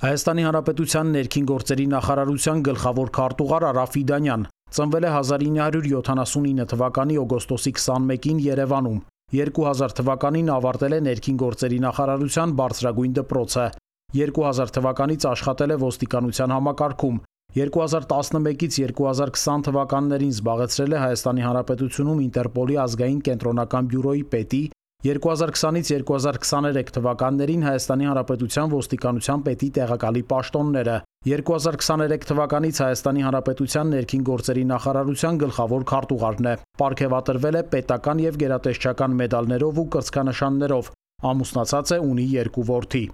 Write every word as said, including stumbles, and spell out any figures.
Հայաստանի Հանրապետության ներքին գործերի նախարարության գլխավոր քարտուղար Արա Ֆիդանյան ծնվել է հազար ինը հարյուր յոթանասունինը թվականի օգոստոսի քսանմեկին Երևանում։ երկու հազար թվականին ավարտել է ներքին գործերի նախարարության բարձրագույն դպրոցը։ երկու հազար թվականից աշխատել է ոստիկանության համակարգում։ երկու հազար տասնմեկից երկու հազար քսան թվականներին զբաղեցրել է Հայաստանի Հանրապետությունում Ինտերպոլի ազգային կենտրոնական բյուրոյի պետի, երկու հազար քսանից երկու հազար քսաներեք թվականներին Հայաստանի Հանրապետության ոստիկանության պետի տեղակալի պաշտոնները, երկու հազար քսաներեք թվականից Հայաստանի Հանրապետության ներքին գործերի նախարարության գլխավոր քարտուղարն է։ Պարգևատրվել է պետական եւ գերատեսչական մեդալներով ու կրծքանշաններով, ամուսնացած է, ունի երկու որդի։